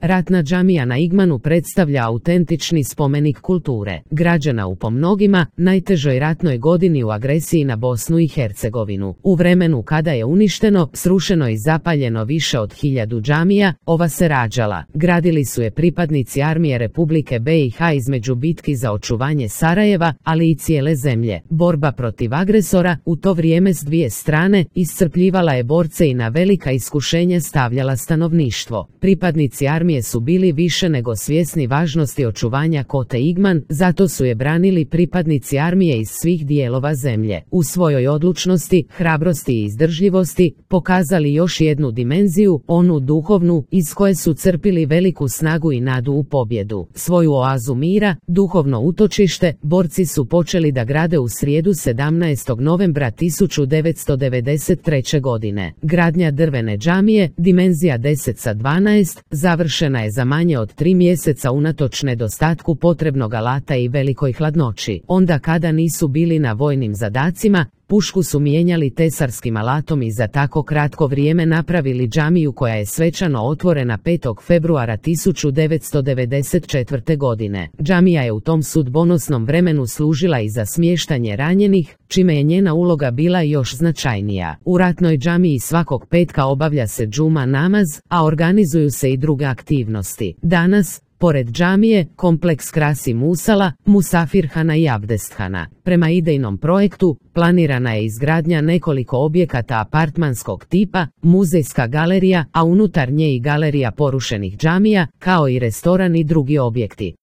Ratna džamija na Igmanu predstavlja autentični spomenik kulture, građana u po mnogima najtežoj ratnoj godini u agresiji na Bosnu i Hercegovinu. U vremenu kada je uništeno, srušeno i zapaljeno više od 1000 džamija, ova se rađala. Gradili su je pripadnici armije Republike BiH između bitki za očuvanje Sarajeva, ali i cijele zemlje. Borba protiv agresora, u to vrijeme s dvije strane, iscrpljivala je borce i na velika iskušenja stavljala stanovništvo. Pripadnici armije su bili više nego svjesni važnosti očuvanja kote Igman, zato su je branili pripadnici armije iz svih dijelova zemlje. U svojoj odlučnosti, hrabrosti i izdržljivosti pokazali još jednu dimenziju, onu duhovnu, iz koje su crpili veliku snagu i nadu u pobjedu. Svoju oazu mira, duhovno utočište, borci su počeli da grade u srijedu 17. novembra 1993. godine. Gradnja drvene džamije, dimenzija 10x12, završena je za manje od 3 mjeseca unatoč nedostatku potrebnog alata i velikoj hladnoći. Onda kada nisu bili na vojnim zadacima, pušku su mijenjali tesarskim alatom i za tako kratko vrijeme napravili džamiju koja je svečano otvorena 5. februara 1994. godine. Džamija je u tom sudbonosnom vremenu služila i za smještanje ranjenih, čime je njena uloga bila još značajnija. U ratnoj džamiji svakog petka obavlja se džuma namaz, a organizuju se i druge aktivnosti. Danas, pored džamije, kompleks krasi musala, musafirhana i abdesthana. Prema idejnom projektu, planirana je izgradnja nekoliko objekata apartmanskog tipa, muzejska galerija, a unutar nje i galerija porušenih džamija, kao i restoran i drugi objekti.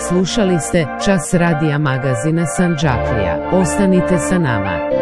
Slušali ste Čas radija magazina Sandžaklija. Ostanite sa nama.